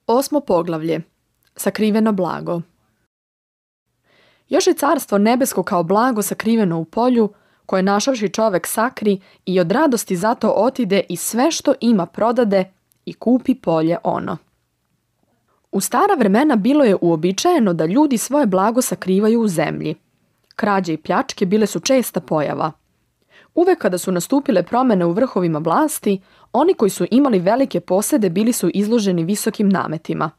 Osmo poglavlje. Sakriveno blago. Još je carstvo nebesko kao blago sakriveno u polju, koje našavši čovek sakri i od radosti zato otide i sve što ima prodade i kupi polje ono. U stara vremena bilo je uobičajeno da ljudi svoje blago sakrivaju u zemlji. Krađe i pljačke bile su česta pojava. Uvek kada su nastupile promene u vrhovima vlasti, oni koji su imali velike posede bili su izloženi visokim nametima.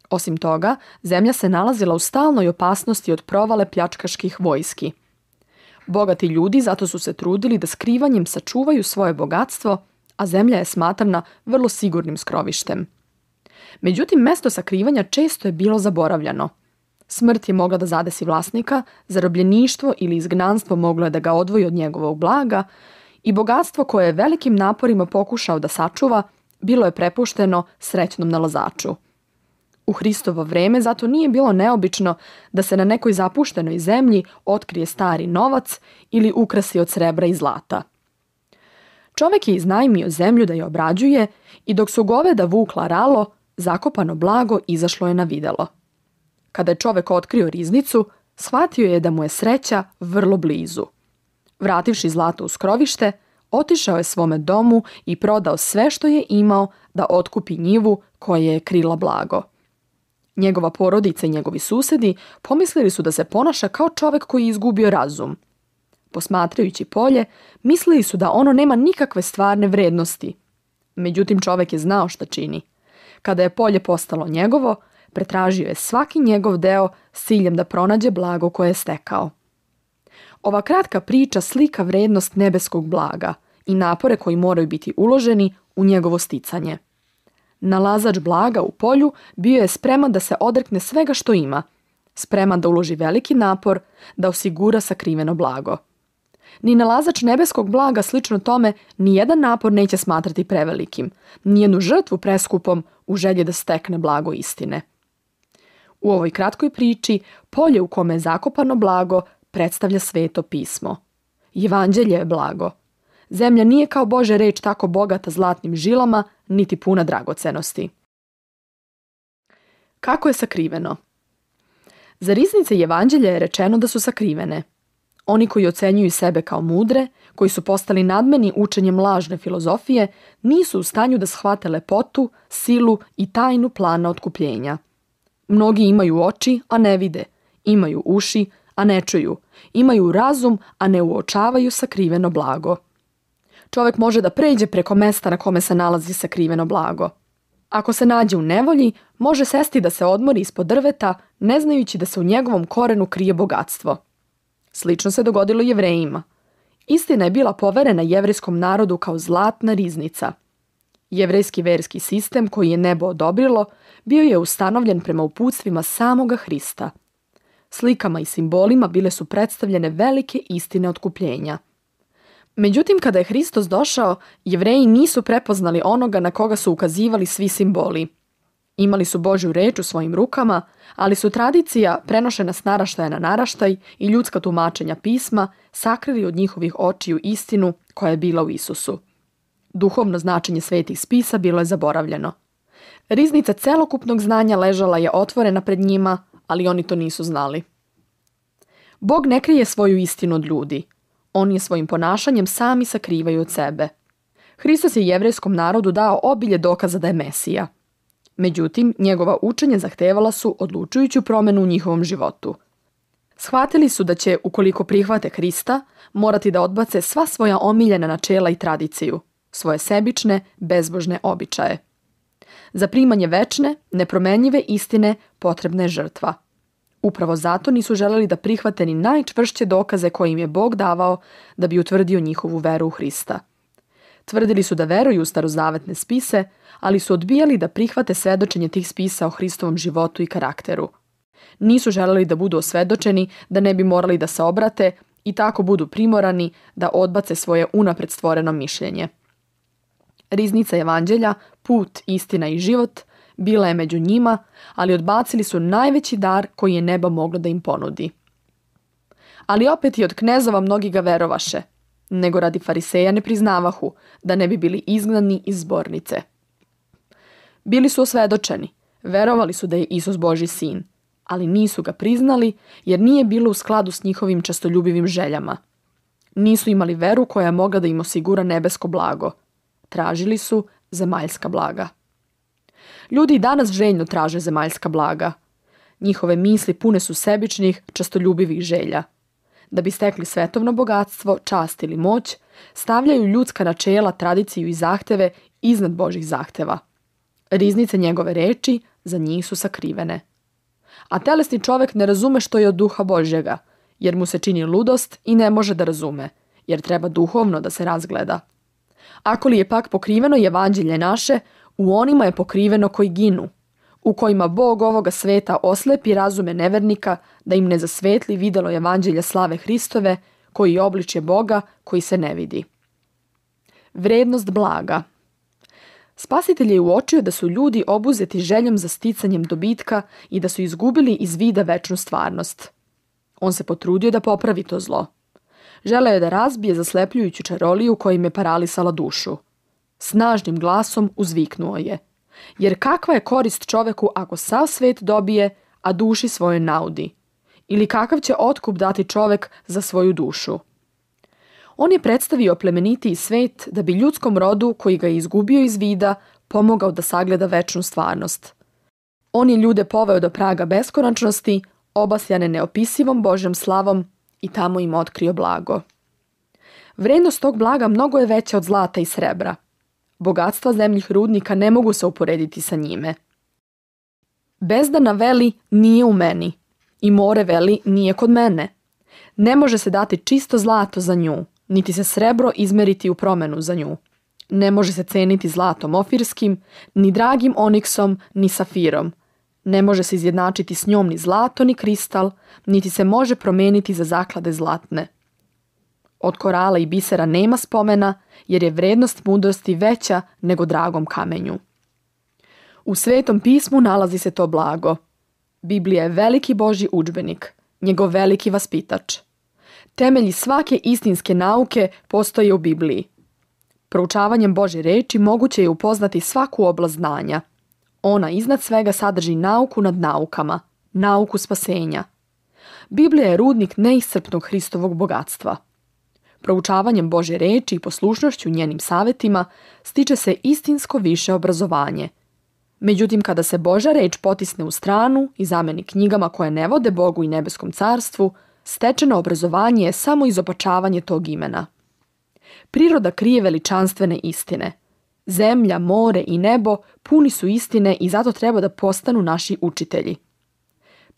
Osim toga, zemlja se nalazila u stalnoj opasnosti od provale pljačkaških vojski. Bogati ljudi zato su se trudili da skrivanjem sačuvaju svoje bogatstvo, a zemlja je smatrana vrlo sigurnim skrovištem. Međutim, mesto sakrivanja često je bilo zaboravljano. Smrt je mogla da zadesi vlasnika, zarobljeništvo ili izgnanstvo moglo je da ga odvoji od njegovog blaga i bogatstvo koje je velikim naporima pokušao da sačuva, bilo je prepušteno srećnom nalazaču. U Hristovo vreme zato nije bilo neobično da se na nekoj zapuštenoj zemlji otkrije stari novac ili ukrasi od srebra i zlata. Čovek je iznajmio zemlju da je obrađuje i dok su goveda vukla ralo, zakopano blago izašlo je na videlo. Kada je čovek otkrio riznicu, shvatio je da mu je sreća vrlo blizu. Vrativši zlato u skrovište, otišao je svome domu i prodao sve što je imao da otkupi njivu koja je krila blago. Njegova porodica i njegovi susedi pomislili su da se ponaša kao čovek koji je izgubio razum. Posmatrajući polje, mislili su da ono nema nikakve stvarne vrednosti. Međutim, čovek je znao šta čini. Kada je polje postalo njegovo, pretražio je svaki njegov deo s ciljem da pronađe blago koje je stekao. Ova kratka priča slika vrednost nebeskog blaga i napore koji moraju biti uloženi u njegovo sticanje. Nalazač blaga u polju bio je spreman da se odrekne svega što ima, spreman da uloži veliki napor da osigura sakriveno blago. Ni nalazač nebeskog blaga slično tome nijedan napor neće smatrati prevelikim, nijednu žrtvu preskupom u želji da stekne blago istine. U ovoj kratkoj priči polje u kome je zakopano blago predstavlja Sveto pismo. Evanđelje je blago. Zemlja nije kao Božja reč tako bogata zlatnim žilama, niti puna dragocenosti. Kako je sakriveno? Za riznice Evanđelja je rečeno da su sakrivene. Oni koji ocenjuju sebe kao mudre, koji su postali nadmeni učenjem lažne filozofije, nisu u stanju da shvate lepotu, silu i tajnu plana otkupljenja. Mnogi imaju oči, a ne vide, imaju uši, a ne čuju, imaju razum, a ne uočavaju sakriveno blago. Čovek može da pređe preko mesta na kome se nalazi sakriveno blago. Ako se nađe u nevolji, može sesti da se odmori ispod drveta, ne znajući da se u njegovom korenu krije bogatstvo. Slično se dogodilo Jevrejima. Istina je bila poverena jevrejskom narodu kao zlatna riznica. Jevrejski verski sistem koji je nebo odobrilo bio je ustanovljen prema uputstvima samoga Hrista. Slikama i simbolima bile su predstavljene velike istine otkupljenja. Međutim, kada je Hristos došao, Jevreji nisu prepoznali onoga na koga su ukazivali svi simboli. Imali su Božju reč u svojim rukama, ali su tradicija, prenošena s naraštaja na naraštaj i ljudska tumačenja pisma, sakrili od njihovih očiju istinu koja je bila u Isusu. Duhovno značenje svetih spisa bilo je zaboravljeno. Riznica celokupnog znanja ležala je otvorena pred njima, ali oni to nisu znali. Bog ne krije svoju istinu od ljudi. On je svojim ponašanjem sami sakrivaju od sebe. Hristos je jevrejskom narodu dao obilje dokaza da je Mesija. Međutim, njegova učenja zahtevala su odlučujuću promenu u njihovom životu. Shvatili su da će, ukoliko prihvate Hrista, morati da odbace sva svoja omiljena načela i tradiciju, svoje sebične, bezbožne običaje. Za primanje večne, nepromenljive istine potrebna je žrtva. Upravo zato nisu želeli da prihvate ni najčvršće dokaze koje im je Bog davao da bi utvrdio njihovu veru u Hrista. Tvrdili su da veruju u starozavetne spise, ali su odbijali da prihvate svedočenje tih spisa o Hristovom životu i karakteru. Nisu želeli da budu osvedočeni, da ne bi morali da se obrate i tako budu primorani da odbace svoje unapred stvoreno mišljenje. Riznica Evanđelja, put, istina i život, bila je među njima, ali odbacili su najveći dar koji je nebo moglo da im ponudi. Ali opet i od knezova mnogi ga verovaše, nego radi fariseja ne priznavahu, da ne bi bili izgnani iz zbornice. Bili su osvedočeni, Verovali su da je Isus Božji sin, ali nisu ga priznali jer nije bilo u skladu s njihovim častoljubivim željama. Nisu imali veru koja je mogla da im osigura nebesko blago. Tražili su zemaljska blaga. Ljudi i danas željno traže zemaljska blaga. Njihove misli pune su sebičnih, častoljubivih želja. Da bi stekli svetovno bogatstvo, čast ili moć, stavljaju ljudska načela, tradiciju i zahteve iznad Božjih zahteva. Riznice njegove reči za njih su sakrivene. A telesni čovjek ne razume što je od duha Božjega, jer mu se čini ludost i ne može da razume, jer treba duhovno da se razgleda. Ako li je pak pokriveno evanđelje naše, u onima je pokriveno koji ginu, u kojima Bog ovoga sveta oslepi razume nevernika da im ne zasvetli videlo evanđelja slave Hristove, koji je obličje Boga koji se ne vidi. Vrednost blaga. Spasitelj je uočio da su ljudi obuzeti željom za sticanjem dobitka i da su izgubili iz vida večnu stvarnost. On se potrudio da popravi to zlo. Želeo je da razbije zaslepljujuću čaroliju koja im je paralisala dušu. Snažnim glasom uzviknuo je: jer kakva je korist čoveku ako sav svet dobije, a duši svojoj naudi? Ili kakav će otkup dati čovek za svoju dušu? On je predstavio plemenitiji svet da bi ljudskom rodu koji ga je izgubio iz vida pomogao da sagleda večnu stvarnost. On je ljude poveo do praga beskonačnosti, obasjane neopisivom Božjom slavom, i tamo im otkrio blago. Vrednost tog blaga mnogo je veća od zlata i srebra. Bogatstva zemljih rudnika ne mogu se uporediti sa njime. Bezdana veli nije u meni i more veli nije kod mene. Ne može se dati čisto zlato za nju, niti se srebro izmeriti u promenu za nju. Ne može se ceniti zlatom ofirskim, ni dragim oniksom, ni safirom. Ne može se izjednačiti s njom ni zlato, ni kristal, niti se može promeniti za zaklade zlatne. Od korala i bisera nema spomena, jer je vrednost mudrosti veća nego dragom kamenju. U Svetom pismu nalazi se to blago. Biblija je veliki Božji udžbenik, njegov veliki vaspitač. Temelji svake istinske nauke postoje u Bibliji. Proučavanjem Božje reči moguće je upoznati svaku oblast znanja. Ona iznad svega sadrži nauku nad naukama, nauku spasenja. Biblija je rudnik neiscrpnog Hristovog bogatstva. Proučavanjem Božje reči i poslušnošću njenim savetima stiče se istinsko više obrazovanje. Međutim, kada se Božja reč potisne u stranu i zameni knjigama koje ne vode Bogu i nebeskom carstvu, stečeno obrazovanje je samo izopačavanje tog imena. Priroda krije veličanstvene istine. Zemlja, more i nebo puni su istine i zato treba da postanu naši učitelji.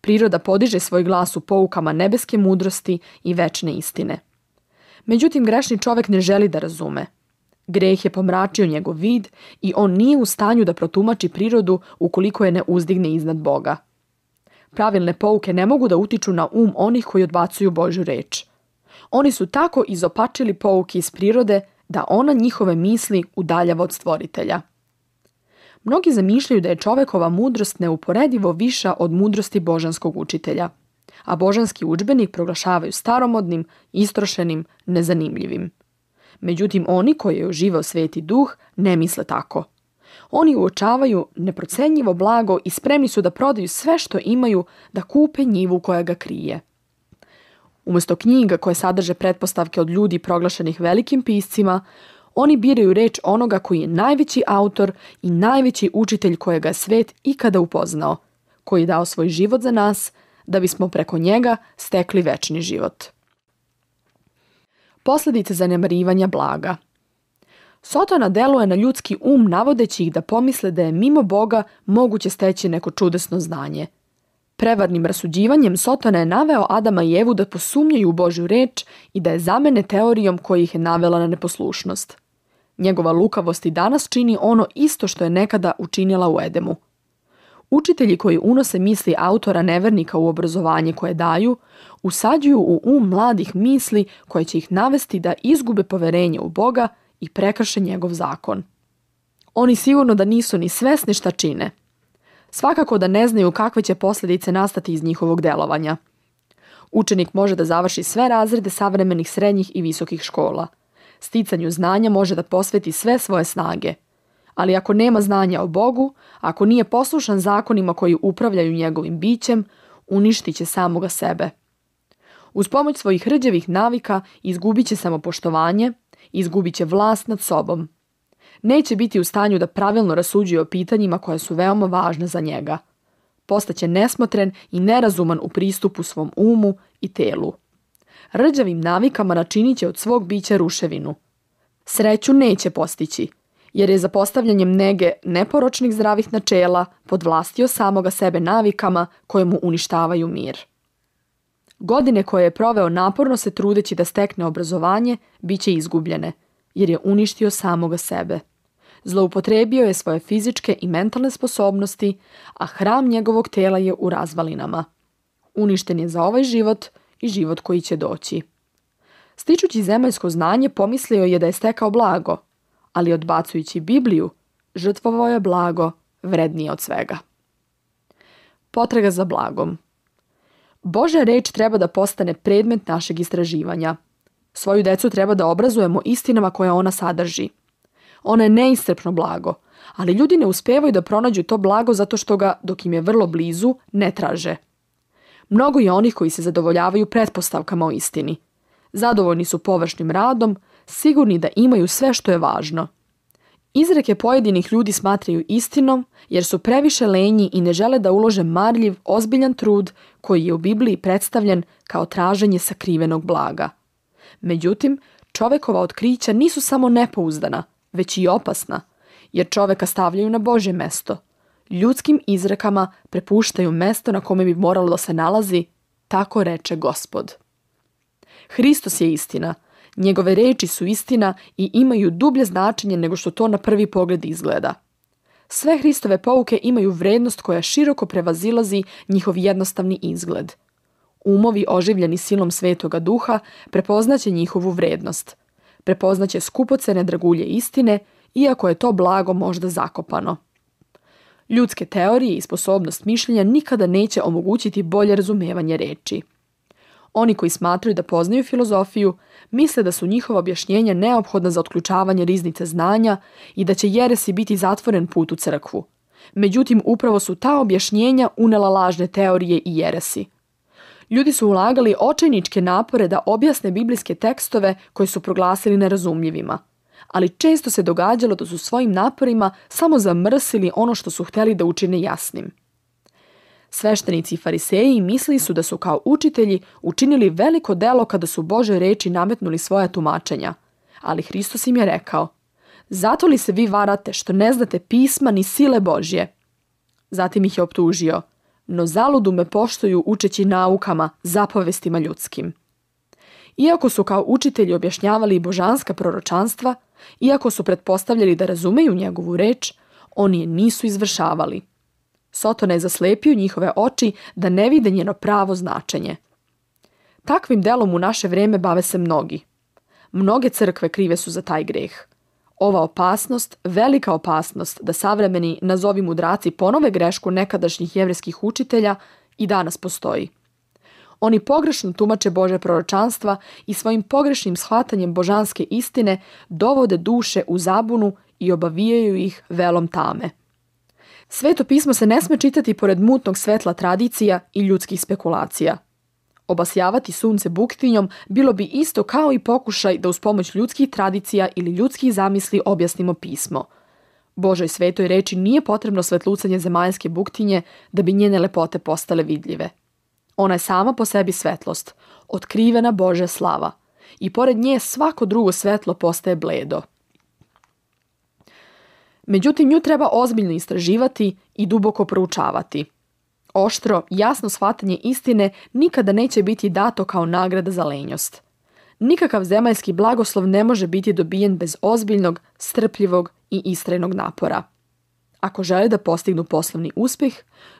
Priroda podiže svoj glas u poukama nebeske mudrosti i večne istine. Međutim, grešni čovjek ne želi da razume. Greh je pomračio njegov vid i on nije u stanju da protumači prirodu ukoliko je ne uzdigne iznad Boga. Pravilne pouke ne mogu da utiču na onih koji odbacuju Božju reč. Oni su tako izopačili pouke iz prirode da ona njihove misli udaljava od stvoritelja. Mnogi zamišljaju da je čovekova mudrost neuporedivo viša od mudrosti božanskog učitelja, a božanski udžbenik proglašavaju staromodnim, istrošenim, nezanimljivim. Međutim, oni koji je uživao Sveti Duh ne misle tako. Oni uočavaju neprocenjivo blago i spremni su da prodaju sve što imaju da kupe njivu koja ga krije. Umjesto knjiga koje sadrže pretpostavke od ljudi proglašenih velikim piscima, oni biraju reč onoga koji je najveći autor i najveći učitelj kojega je svet ikada upoznao, koji je dao svoj život za nas, da bismo preko njega stekli večni život. Posljedice zanemarivanja blaga. Sotona deluje na ljudski navodeći ih da pomisle da je mimo Boga moguće steći neko čudesno znanje. Prevarnim rasuđivanjem Sotona je naveo Adama i Evu da posumnjaju u Božju reč i da je zamene teorijom koja ih je navela na neposlušnost. Njegova lukavost i danas čini ono isto što je nekada učinila u Edemu. Učitelji koji unose misli autora nevernika u obrazovanje koje daju, usađuju u mladih misli koje će ih navesti da izgube poverenje u Boga i prekrše njegov zakon. Oni sigurno da nisu ni svesni šta čine. Svakako da ne znaju kakve će posljedice nastati iz njihovog delovanja. Učenik može da završi sve razrede savremenih srednjih i visokih škola. Sticanju znanja može da posveti sve svoje snage. Ali ako nema znanja o Bogu, ako nije poslušan zakonima koji upravljaju njegovim bićem, uništit će samoga sebe. Uz pomoć svojih hrđevih navika izgubit će samopoštovanje, izgubit će vlast nad sobom. Neće biti u stanju da pravilno rasuđuje o pitanjima koja su veoma važna za njega. Postaće nesmotren i nerazuman u pristupu svom umu i telu. Rđavim navikama načinit će od svog bića ruševinu. Sreću neće postići, jer je za postavljanjem nege neporočnih zdravih načela podvlastio samoga sebe navikama koje mu uništavaju mir. Godine koje je proveo naporno se trudeći da stekne obrazovanje, bit će izgubljene, jer je uništio samoga sebe. Zloupotrebio je svoje fizičke i mentalne sposobnosti, a hram njegovog tela je u razvalinama. Uništen je za ovaj život i život koji će doći. Stičući zemaljsko znanje, pomislio je da je stekao blago, ali odbacujući Bibliju, žrtvovao je blago vrednije od svega. Potraga za blagom. Božja reč treba da postane predmet našeg istraživanja. Svoju decu treba da obrazujemo istinama koje ona sadrži. Ona je neiscrpno blago, ali ljudi ne uspevaju da pronađu to blago zato što ga, dok im je vrlo blizu, ne traže. Mnogo je onih koji se zadovoljavaju pretpostavkama o istini. Zadovoljni su površnim radom, sigurni da imaju sve što je važno. Izreke pojedinih ljudi smatraju istinom jer su previše lenji i ne žele da ulože marljiv, ozbiljan trud koji je u Bibliji predstavljen kao traženje sakrivenog blaga. Međutim, čovekova otkrića nisu samo nepouzdana, već i opasna, jer čoveka stavljaju na Božje mesto. Ljudskim izrekama prepuštaju mesto na kome bi moralo da se nalazi, tako reče Gospod. Hristos je istina. Njegove reči su istina i imaju dublje značenje nego što to na prvi pogled izgleda. Sve Hristove pouke imaju vrednost koja široko prevazilazi njihov jednostavni izgled. Umovi oživljeni silom Svetoga Duha prepoznaće njihovu vrednost. Prepoznaće skupocene dragulje istine, iako je to blago možda zakopano. Ljudske teorije i sposobnost mišljenja nikada neće omogućiti bolje razumevanje reči. Oni koji smatraju da poznaju filozofiju, misle da su njihova objašnjenja neophodna za otključavanje riznice znanja i da će jeresi biti zatvoren put u crkvu. Međutim, upravo su ta objašnjenja unela lažne teorije i jeresi. Ljudi su ulagali očajničke napore da objasne biblijske tekstove koje su proglasili nerazumljivima, ali često se događalo da su svojim naporima samo zamrsili ono što su hteli da učine jasnim. Sveštenici i fariseji mislili su da su kao učitelji učinili veliko delo kada su Božje reči nametnuli svoja tumačenja, ali Hristos im je rekao: "Zato li se vi varate što ne znate pisma ni sile Božje?" Zatim ih je optužio: "No zaludu me poštuju učeći naukama, zapovestima ljudskim." Iako su kao učitelji objašnjavali božanska proročanstva, iako su pretpostavljali da razumeju njegovu reč, oni je nisu izvršavali. Sotona je zaslepio njihove oči da ne vide njeno pravo značenje. Takvim delom u naše vreme bave se mnogi. Mnoge crkve krive su za taj greh. Ova opasnost, velika opasnost da savremeni, nazovi mudraci, ponove grešku nekadašnjih jevrejskih učitelja, i danas postoji. Oni pogrešno tumače Božja proročanstva i svojim pogrešnim shvatanjem božanske istine dovode duše u zabunu i obavijaju ih velom tame. Sveto pismo se ne sme čitati pored mutnog svetla tradicija i ljudskih spekulacija. Obasjavati sunce buktinjom bilo bi isto kao i pokušaj da uz pomoć ljudskih tradicija ili ljudskih zamisli objasnimo pismo. Božoj svetoj reči nije potrebno svetlucanje zemaljske buktinje da bi njene lepote postale vidljive. Ona je sama po sebi svetlost, otkrivena Božja slava, i pored nje svako drugo svetlo postaje bledo. Međutim, nju treba ozbiljno istraživati i duboko proučavati. Oštro, jasno shvatanje istine nikada neće biti dato kao nagrada za lenjost. Nikakav zemaljski blagoslov ne može biti dobijen bez ozbiljnog, strpljivog i istrajnog napora. Ako žele da postignu poslovni uspjeh,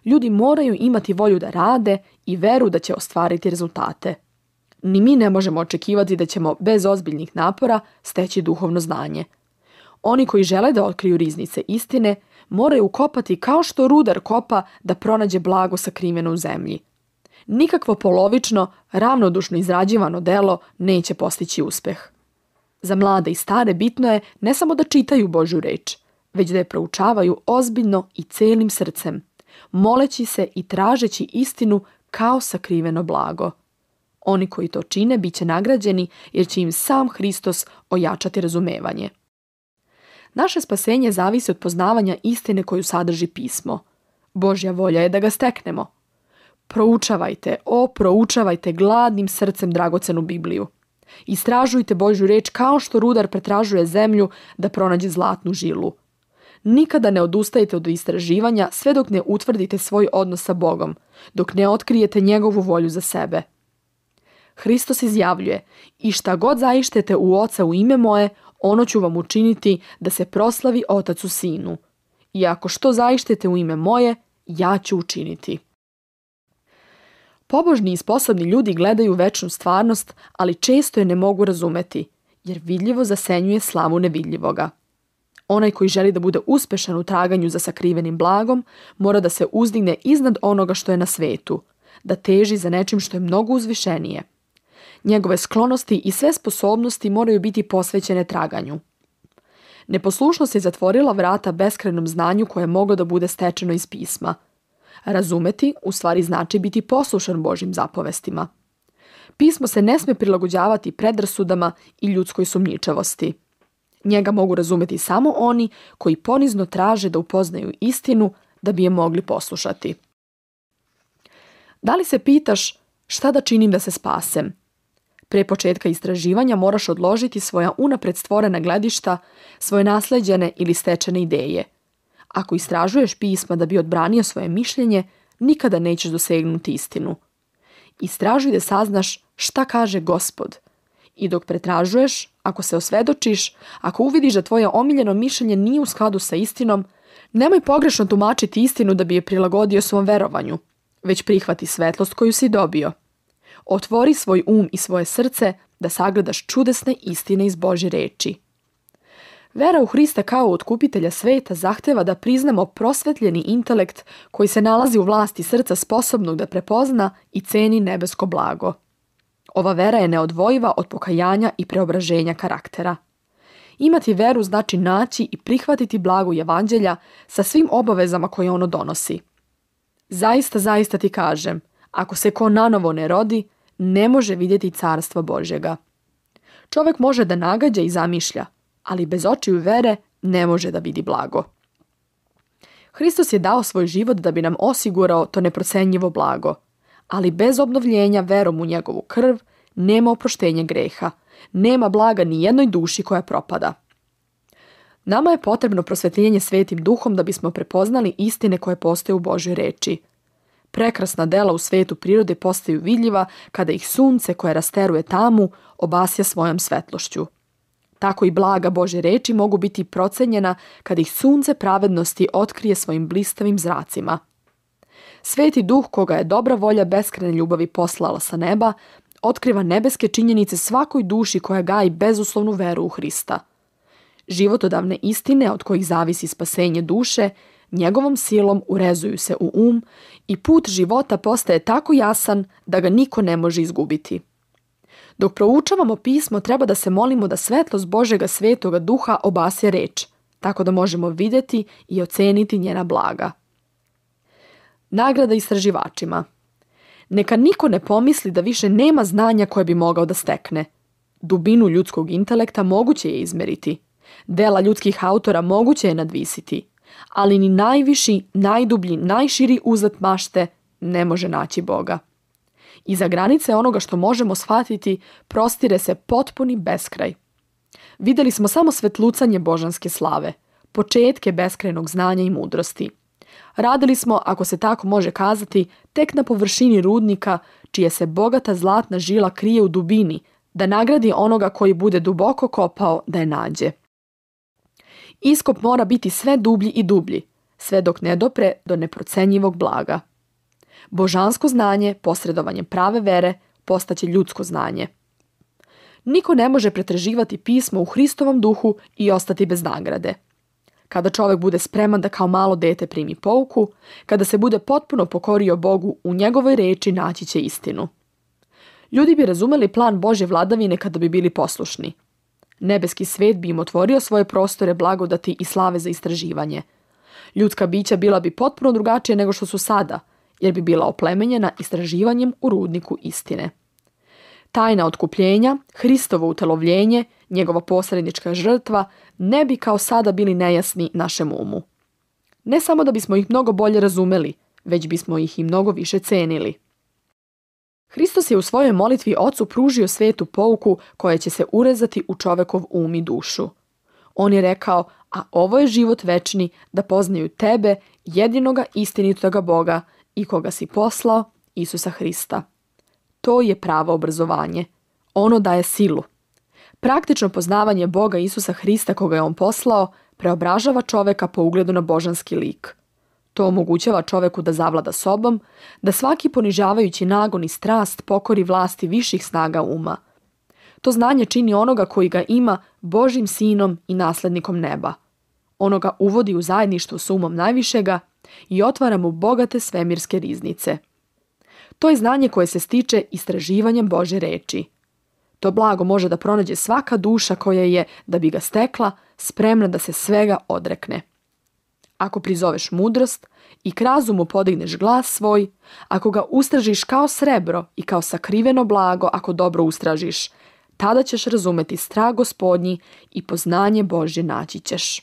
ljudi moraju imati volju da rade i veru da će ostvariti rezultate. Ni mi ne možemo očekivati da ćemo bez ozbiljnih napora steći duhovno znanje. Oni koji žele da otkriju riznice istine moraju kopati kao što rudar kopa da pronađe blago sakriveno u zemlji. Nikakvo polovično, ravnodušno izrađivano delo neće postići uspeh. Za mlade i stare bitno je ne samo da čitaju Božju reč, već da je proučavaju ozbiljno i celim srcem, moleći se i tražeći istinu kao sakriveno blago. Oni koji to čine bit će nagrađeni jer će im sam Hristos ojačati razumevanje. Naše spasenje zavisi od poznavanja istine koju sadrži pismo. Božja volja je da ga steknemo. Proučavajte gladnim srcem dragocenu Bibliju. Istražujte Božju reč kao što rudar pretražuje zemlju da pronađe zlatnu žilu. Nikada ne odustajte od istraživanja sve dok ne utvrdite svoj odnos sa Bogom, dok ne otkrijete njegovu volju za sebe. Hristos izjavljuje: i šta god zaištete u Oca u ime moje, ono ću vam učiniti da se proslavi Otac u Sinu. I ako što zaištete u ime moje, ja ću učiniti. Pobožni i sposobni ljudi gledaju večnu stvarnost, ali često je ne mogu razumeti, jer vidljivo zasenjuje slavu nevidljivoga. Onaj koji želi da bude uspešan u traganju za sakrivenim blagom, mora da se uzdigne iznad onoga što je na svetu, da teži za nečim što je mnogo uzvišenije. Njegove sklonosti i sve sposobnosti moraju biti posvećene traganju. Neposlušnost je zatvorila vrata beskrajnom znanju koje je moglo da bude stečeno iz pisma. Razumeti u stvari znači biti poslušan Božjim zapovestima. Pismo se ne sme prilagođavati predrasudama i ljudskoj sumnjičavosti. Njega mogu razumeti samo oni koji ponizno traže da upoznaju istinu da bi je mogli poslušati. Da li se pitaš šta da činim da se spasem? Pre početka istraživanja moraš odložiti svoja unapred stvorena gledišta, svoje nasleđene ili stečene ideje. Ako istražuješ pisma da bi odbranio svoje mišljenje, nikada nećeš dosegnuti istinu. Istražuj da saznaš šta kaže Gospod. I dok pretražuješ, ako se osvedočiš, ako uvidiš da tvoje omiljeno mišljenje nije u skladu sa istinom, nemoj pogrešno tumačiti istinu da bi je prilagodio svom verovanju, već prihvati svetlost koju si dobio. Otvori svoj i svoje srce da sagledaš čudesne istine iz Božje reči. Vera u Hrista kao otkupitelja sveta zahteva da priznamo prosvetljeni intelekt koji se nalazi u vlasti srca sposobnog da prepozna i ceni nebesko blago. Ova vera je neodvojiva od pokajanja i preobraženja karaktera. Imati veru znači naći i prihvatiti blago evanđelja sa svim obavezama koje ono donosi. Zaista ti kažem, ako se ko nanovo ne rodi, ne može vidjeti carstva Božjega. Čovjek može da nagađa i zamišlja, ali bez očiju vere ne može da vidi blago. Hristos je dao svoj život da bi nam osigurao to neprocenjivo blago, ali bez obnovljenja verom u njegovu krv nema oproštenja greha, nema blaga ni jednoj duši koja propada. Nama je potrebno prosvetljenje Svetim Duhom da bismo prepoznali istine koje postoje u Božjoj reči. Prekrasna dela u svetu prirode postaju vidljiva kada ih sunce koje rasteruje tamu obasja svojom svetlošću. Tako i blaga Božje reči mogu biti procenjena kada ih sunce pravednosti otkrije svojim blistavim zracima. Sveti Duh koga je dobra volja beskrajne ljubavi poslala sa neba, otkriva nebeske činjenice svakoj duši koja gaji bezuslovnu veru u Hrista. Životodavne istine od kojih zavisi spasenje duše, njegovom silom urezuju se u i put života postaje tako jasan da ga niko ne može izgubiti. Dok proučavamo pismo, treba da se molimo da svetlost Božjega svetoga duha obasje reč, tako da možemo vidjeti i oceniti njena blaga. Nagrada istraživačima. Neka niko ne pomisli da više nema znanja koje bi mogao da stekne. Dubinu ljudskog intelekta moguće je izmeriti. Dela ljudskih autora moguće je nadvisiti. Ali ni najviši, najdublji, najširi uzlet mašte ne može naći Boga. Iza granice onoga što možemo shvatiti prostire se potpuni beskraj. Vidjeli smo samo svetlucanje božanske slave, početke beskrajnog znanja i mudrosti. Radili smo, ako se tako može kazati, tek na površini rudnika, čije se bogata zlatna žila krije u dubini, da nagradi onoga koji bude duboko kopao da je nađe. Iskop mora biti sve dublji i dublji, sve dok ne dopre do neprocenjivog blaga. Božansko znanje, posredovanjem prave vere, postaće ljudsko znanje. Niko ne može pretraživati pismo u Hristovom duhu i ostati bez nagrade. Kada čovjek bude spreman da kao malo dete primi pouku, kada se bude potpuno pokorio Bogu, u njegovoj reči naći će istinu. Ljudi bi razumeli plan Božje vladavine kada bi bili poslušni. Nebeski svet bi im otvorio svoje prostore blagodati i slave za istraživanje. Ljudska bića bila bi potpuno drugačija nego što su sada, jer bi bila oplemenjena istraživanjem u rudniku istine. Tajna otkupljenja, Hristovo utelovljenje, njegova posrednička žrtva ne bi kao sada bili nejasni našem umu. Ne samo da bismo ih mnogo bolje razumeli, već bismo ih i mnogo više cenili. Hristos je u svojoj molitvi Ocu pružio svetu pouku koja će se urezati u čovekov um i dušu. On je rekao, a ovo je život večni, da poznaju tebe, jedinoga istinitoga Boga i koga si poslao, Isusa Hrista. To je pravo obrazovanje. Ono daje silu. Praktično poznavanje Boga Isusa Hrista koga je on poslao preobražava čoveka po ugledu na božanski lik. To omogućava čoveku da zavlada sobom, da svaki ponižavajući nagon i strast pokori vlasti viših snaga uma. To znanje čini onoga koji ga ima Božjim sinom i naslednikom neba. Ono ga uvodi u zajedništvo s umom najvišega i otvara mu bogate svemirske riznice. To je znanje koje se stiče istraživanjem Božje reči. To blago može da pronađe svaka duša koja je, da bi ga stekla, spremna da se svega odrekne. Ako prizoveš mudrost i k razumu podigneš glas svoj, ako ga ustražiš kao srebro i kao sakriveno blago, ako dobro ustražiš, tada ćeš razumeti strah Gospodnji i poznanje Božje naći ćeš.